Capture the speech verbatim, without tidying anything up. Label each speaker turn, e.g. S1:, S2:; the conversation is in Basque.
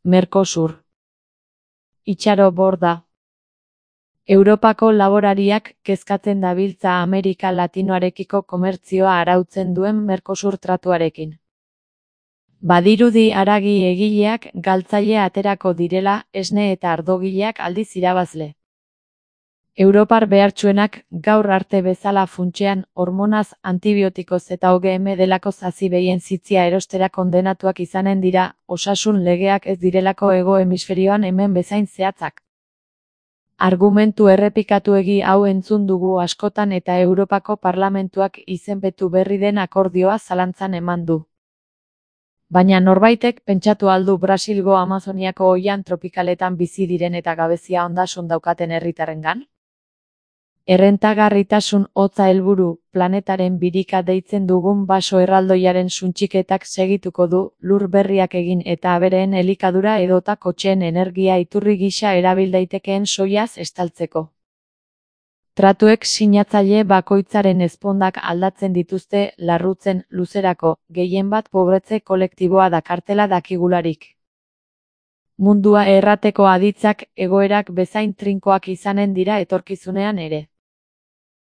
S1: Mercosur. Itxaro borda. Europako laborariak kezkatzen dabiltza Amerika Latinoarekiko komertzioa arautzen duen Mercosur tratuarekin. Badirudi haragi egileak galtzaile aterako direla, esne eta ardogileak aldiz irabazle. Europar behartsuenak gaur arte bezala funtsean hormonaz, antibiotikoz eta O G M delako zazibeien zitzia erostera kondenatuak izanen dira, osasun legeak ez direlako hego hemisferioan hemen bezain zehatzak. Argumentu errepikatuegi hau entzun dugu askotan eta Europako Parlamentuak izenpetu berri den akordioa zalantzan eman du. Baina norbaitek pentsatu aldu Brasilgo Amazoniako oihan tropikaletan bizi diren eta gabezia ondasun daukaten herritarrengan? Errentagarritasun hotza helburu, planetaren birika deitzen dugun baso erraldoiaren suntsiketak segituko du, lur berriak egin eta abereen elikadura edota kotxeen energia iturri gisa erabil daitekeen soiaz estaltzeko. Tratuek sinatzaile bakoitzaren ezpondak aldatzen dituzte larrutzen luzerako, gehienbat pobretze kolektiboa dakartela dakigularik. Mundua errateko aditzak egoerak bezain trinkoak izanen dira etorkizunean ere.